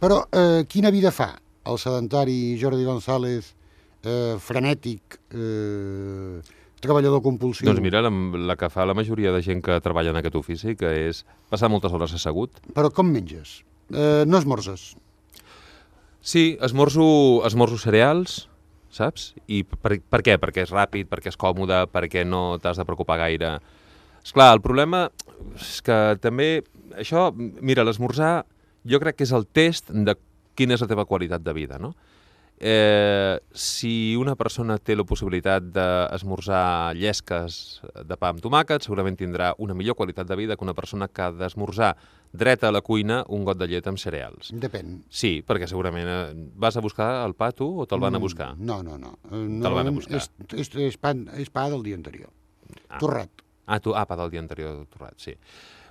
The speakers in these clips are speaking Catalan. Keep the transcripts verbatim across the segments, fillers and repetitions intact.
Però eh, quina vida fa el sedentari Jordi González, eh, frenètic, eh, treballador compulsiu? Doncs mira, la, la que fa la majoria de gent que treballa en aquest ofici, que és passar moltes hores assegut. Però com menges? Eh, no esmorzes? Sí, esmorzo, esmorzo cereals, saps? I per, per què? Perquè és ràpid, perquè és còmode, perquè no t'has de preocupar gaire. Esclar, el problema és que també... Això, mira, l'esmorzar jo crec que és el test de quina és la teva qualitat de vida, no? Eh, si una persona té la possibilitat d'esmorzar llesques de pa amb tomàquet, segurament tindrà una millor qualitat de vida que una persona que ha d'esmorzar dreta a la cuina un got de llet amb cereals. Depèn. Sí, perquè segurament eh, vas a buscar el pa tu o te'l van a buscar? Mm, no, no, no. Eh, Te'l van a buscar. És, és, és, pa, és pa del dia anterior. Ah. Torrat. Ah, tu, ah, pa del dia anterior torrat, sí.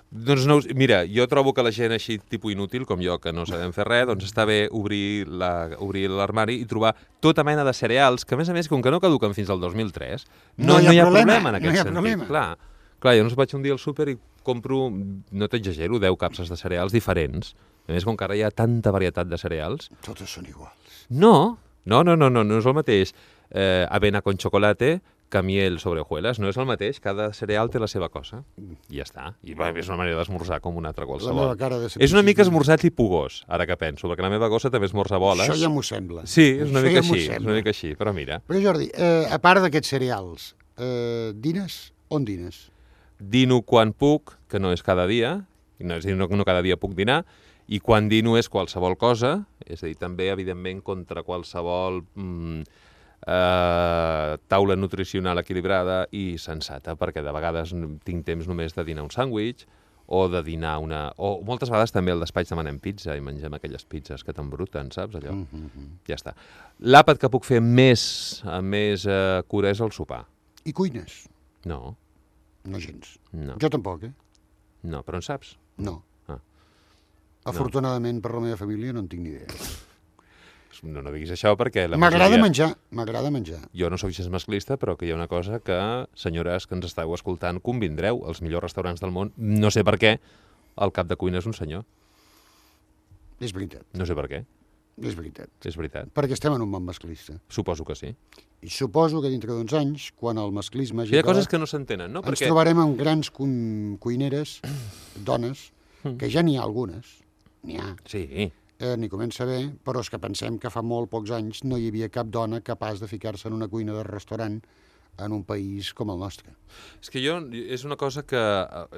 Doncs no, mira, jo trobo que la gent així tipus inútil, com jo, que no sabem fer res, doncs està bé obrir la, obrir l'armari i trobar tota mena de cereals, que a més a més, com que no caduquen fins al dos mil tres, no, no, hi, ha no hi ha problema, problema en aquest no hi ha sentit. Problema. Clar, clar, jo no vaig un dia al súper i compro, no t'exagero, deu capses de cereals diferents. A més, com que ara hi ha tanta varietat de cereals... Totes són iguals. No, no, no, no, no, no és el mateix. Eh, avena con chocolate... que miel sobre hojuelas, no és el mateix, cada cereal té la seva cosa, i ja està. I va, és una manera d'esmorzar com una altra qualsevol. És una mica esmorzar tipus gos, ara que penso, perquè la meva gossa també esmorza boles. Això ja m'ho sembla. Sí, és una Això mica ja així, és una mica així, però mira. Però Jordi, eh, a part d'aquests cereals, eh, dines? On dines? Dino quan puc, que no és cada dia, no, és a dir, no, no cada dia puc dinar, i quan dino és qualsevol cosa, és a dir, també, evidentment, contra qualsevol... Mm, Uh, taula nutricional equilibrada i sensata, perquè de vegades tinc temps només de dinar un sàndwich o de dinar una... O moltes vegades també al despatx demanem pizza i mengem aquelles pizzas que t'embruten, saps, allò? Mm -hmm. Ja està. L'àpat que puc fer més, amb més uh, cura és el sopar. I cuines? No. No gens. No. Jo tampoc, eh? No, però en saps? No. Ah. Afortunadament, no. Per la meva família no en tinc ni idea. No, no diguis això perquè... M'agrada majoria... menjar, m'agrada menjar. Jo no sóc gens masclista, però que hi ha una cosa que, senyores que ens estàu escoltant, convindreu, els millors restaurants del món, no sé per què, el cap de cuina és un senyor. És veritat. No sé per què. És veritat. És veritat. Perquè estem en un món masclista. Suposo que sí. I suposo que dintre d'uns anys, quan el masclisme hagi hi ha acabat, coses que no s'entenen, no? Ens perquè... trobarem amb grans cu cuineres, dones, que ja n'hi ha algunes, n'hi ha. Sí. Eh, n'hi comença bé, però és que pensem que fa molt pocs anys no hi havia cap dona capaç de ficar-se en una cuina de restaurant en un país com el nostre. És que jo, és una cosa que,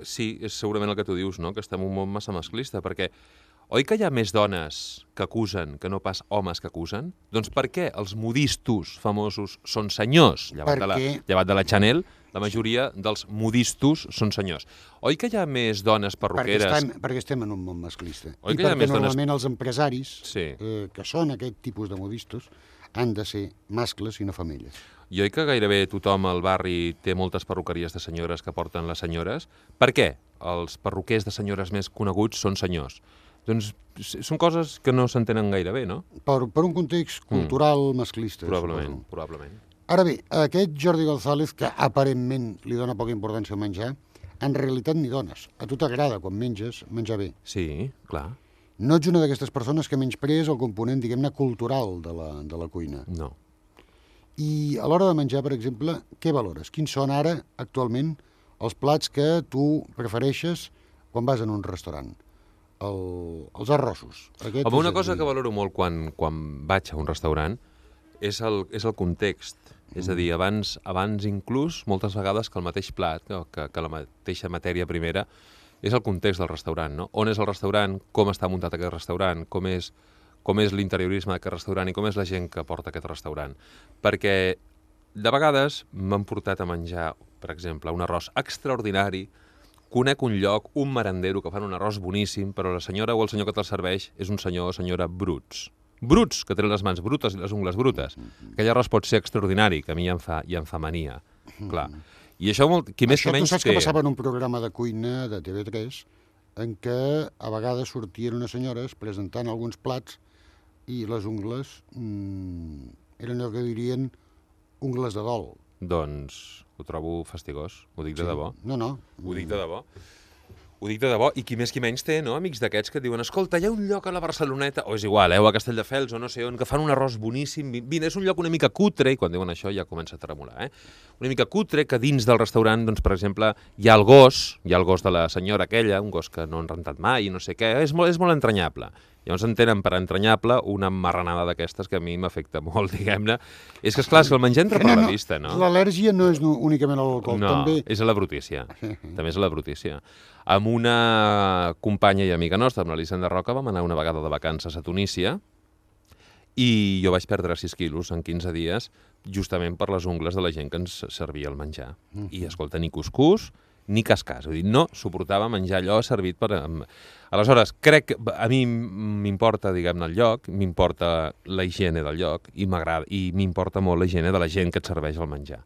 sí, és segurament el que tu dius, no? Que estem en un món massa masclista, perquè oi que hi ha més dones que acusen que no pas homes que acusen? Doncs per què els modistos famosos són senyors? Llevat, perquè... de, la, llevat de la Chanel, la majoria dels modistos són senyors. Oi que hi ha més dones perruqueres... Perquè estem, perquè estem en un món masclista. Oi I que hi ha perquè més normalment dones... els empresaris, sí. eh, que són aquest tipus de modistos, han de ser mascles i no femelles. I oi que gairebé tothom al barri té moltes perruqueries de senyores que porten les senyores? Per què els perruquers de senyores més coneguts són senyors? Doncs són coses que no s'entenen gaire bé, no? Per, per un context cultural mm. masclista. Probablement, suposo. probablement. Ara bé, aquest Jordi González, que aparentment li dona poca importància a menjar, en realitat ni dones. A tu t'agrada, quan menges, menjar bé. Sí, clar. No ets una d'aquestes persones que menysprees el component, diguem-ne, cultural de la, de la cuina. No. I a l'hora de menjar, per exemple, què valores? Quins són ara, actualment, els plats que tu prefereixes quan vas en un restaurant? El, els arrossos. Aquest Home, una cosa que valoro molt quan, quan vaig a un restaurant és el, és el context. Mm. És a dir, abans, abans inclús, moltes vegades que el mateix plat, que, que la mateixa matèria primera, és el context del restaurant, no? On és el restaurant, com està muntat aquest restaurant, com és, com és l'interiorisme d'aquest restaurant i com és la gent que porta aquest restaurant. Perquè de vegades m'han portat a menjar, per exemple, un arròs extraordinari, conec un lloc, un merendero que fan un arròs boníssim, però la senyora o el senyor que te'l serveix és un senyor o senyora bruts. Bruts, que tenen les mans brutes i les ungles brutes. Aquell arròs pot ser extraordinari, que a mi ja em fa, ja em fa mania. Clar. I això, molt, qui més això que menys tu saps té... que passava en un programa de cuina de T V tres en què a vegades sortien unes senyores presentant alguns plats i les ungles mmm, eren allò que dirien ungles de dol. Doncs ho trobo fastigós, ho dic de sí. debò. No, no. Ho dic de debò. Ho dic de debò, i qui més qui menys té, no? Amics d'aquests que et diuen, escolta, hi ha un lloc a la Barceloneta, o és igual, eh, o a Castelldefels, o no sé on, que fan un arròs boníssim, vine, és un lloc una mica cutre, i quan diuen això ja comença a tremolar, eh? Una mica cutre, que dins del restaurant, doncs, per exemple, hi ha el gos, hi ha el gos de la senyora aquella, un gos que no han rentat mai, i no sé què, és molt, és molt entranyable. Llavors entenen per entranyable una marranada d'aquestes que a mi m'afecta molt, diguem-ne. És que, esclar, és que el menjar entra per la vista, no? L'al·lèrgia no és únicament a l'alcohol, no, també... No, és a la brutícia. També és a la brutícia. Amb una companya i amiga nostra, amb l'Elisenda Roca, vam anar una vegada de vacances a Tunísia i jo vaig perdre sis quilos en quinze dies justament per les ungles de la gent que ens servia el menjar. I, escolta, ni cuscús ni cascàs. Vull dir, no suportava menjar allò servit per... Aleshores, crec que a mi m'importa, diguem-ne, el lloc, m'importa la higiene del lloc i m'agrada, i m'importa molt la higiene de la gent que et serveix el menjar.